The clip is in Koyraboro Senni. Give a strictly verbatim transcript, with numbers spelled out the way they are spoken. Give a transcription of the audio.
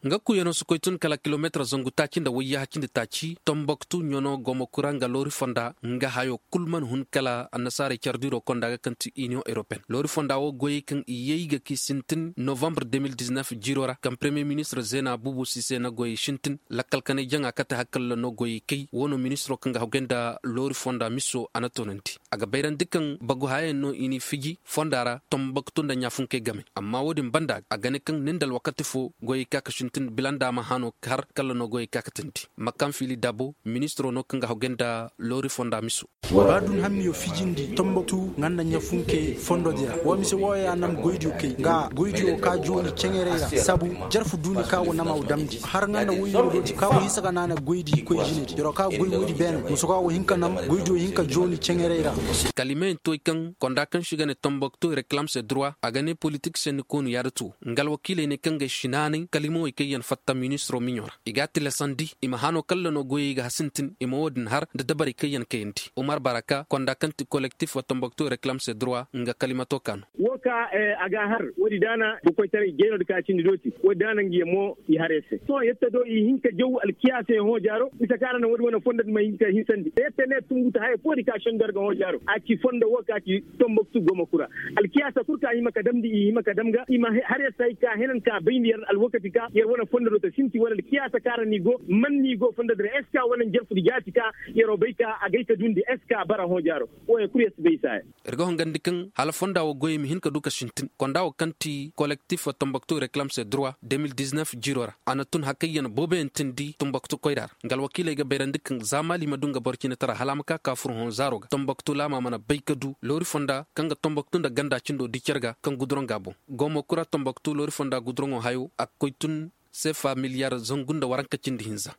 Nga kuyanoo si koy tun kala kilomeetir zangu taaci nda wayyaha cindi taaci tomboktu ɲanoo gomo kura nga loori fonda nga hayoo kul mana hun kala annasaarey care diiroo konda ga kaŋ ti iniyoŋ eropeyen loori fonda woo goyey kaŋ i yay ga k'i sintin novambre de mil diznef jiiroo ra kaŋ paremiye ministir zeena buubu sise na goyey sintin lakkal kanay jaŋa kate hakkalla no goyey kay woo no ministiroo kaŋ ga hagay nda loori fonda miso a na toonandi. A ga bayrandi kaŋ bagu hayayaŋ no i n'i fiji fonda ra tomboktu nda ɲaafunkey game. Amma woo din banda a ga ne kaŋ ni nda alwakati foo goyey ka ga sintin bila nda a ma hano har kala no goyey ka ga tindi. Makam fili dabo ministiroo no kaŋ ga hagay nda loori fonda miso. Ba dun hammiyo fijindi tomboktu nga nda ɲaafunke fondodi ra wa mise wooyo ya nam goydiyo kay nga goydiyo ka jooni ceŋerey ra sabu jarfu duuni ka wa nama wa damndi har nga nda woyyo dooti ka wa hinsa ga naana goydi koy jinedi yaro ka goy woodi beene muso ka wa hin ka nam goydiyo hin ka jooni ceŋerey ra. Kalimeyaŋ toy kaŋ konda kaŋ se i ga ne tomboktu reklam se durwa a ga ne politik senni koonu yaada tuwo nga alwakiiley ne kaŋ ga ay si naanay kalimawey kaŋ yaŋ fatta ministiroo miɲo ra i g'a tilasandi i ma hano kalla no goyey ga hasintin i ma woo din har nda dabarey kaŋ yaŋ kayandi umar baraka konda kaŋ ti kolektif wa tomboktu reklam se durwa nga kalimato ka no. Woo ka a ga a har woodi daana ga koytaray jaynoodi ka cindi dooti woodi daana nga yaŋ mo i har yer se sohõ yette do i hin ka jaw alkiyaasey hõ jaaro bisa kaŋ a ra naŋ woodi wane fondo di ma hin ka hinsandi yette ne tunguta haya foodi ka sendo yer ga hõ jaaro a ci fondo woo ka ci tomboktu goma kura alkiyaasa kul ka hima ka damndi i hima ka dam ga i ma har yer se hay ka henan ka bayndi yer alwakati ka yer wane fondo do ta sinti wala alkiyaasa ka ra ni go man ni go fondo di ra eska wala njarfudi jaati ka yeroo bay ka agay ka dundi eska bara hõ jaaro wooyo kul yer si bay saaya. Ir ga hongandi kaŋ hala fonda woo goyey ma hin ka du ka sintin konda woo kaŋ ti kolektif tomboktu reklam se durwa de mil diznef jiiroo ra a na tun hakayyan booboyaŋ tindi tomboktu koyra ra nga alwakiiley ga bayrandi kaŋ za maali ma du nga boro ciinataraa hala a ma ka ka fur hõ zaaroo ga tomboktu laama mana bay ka du loori fonda kaŋ ga tomboktu nda ganda cindo di cer ga kaŋ guduraŋ ga a boŋ. Goomo kura tomboktu loori fonda guduraŋo hayo a ga koy tun seefa miliyar zangu nda waranka cindi hinza.